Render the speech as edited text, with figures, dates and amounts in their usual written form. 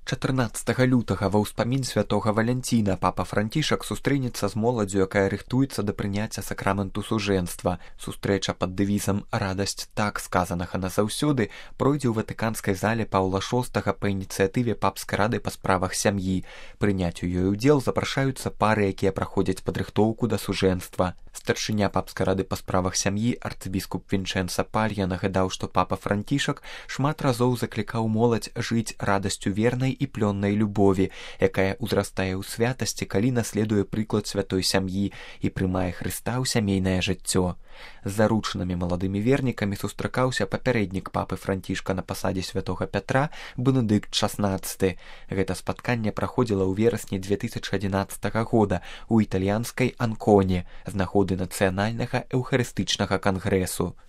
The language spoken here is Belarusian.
14 лютага ва ўспамін святога Валянціна папа Францішак сустрэнецца з моладдзю, якая рыхтуецца да прыняцця сакраменту сужэнства. Сустрэча пад дэвізам «Радасць так сказанага назаўсёды» пройдзе ў ватыканскай зале Паўла VI па ініцыятыве папскай рады па справах сям'і. Прыняць у ёй удзел запрашаюцца пары, якія праходзяць падрыхтоўку да сужэнства. Старшыня папскай рады па справах сям'і арцыбіскуп Вінчэнца Палья нагадаў, што папа Францішак шмат разоў заклікаў моладзь жыць радасцю вернай і плённай любові, якая ўзрастае ў святасці, калі наследуе прыклад святой сям'і і прымае Хрыста ў сямейнае жыццё. З заручанымі маладымі вернікамі сустракаўся папярэднік папы Францішка на пасадзе святога Пятра Бенедыкт XVI. Гэта спатканне праходзіла ў верасні 2011 года ў італьянскай Анконе з нагоды нацыянальнага эўхарыстычнага кангрэсу.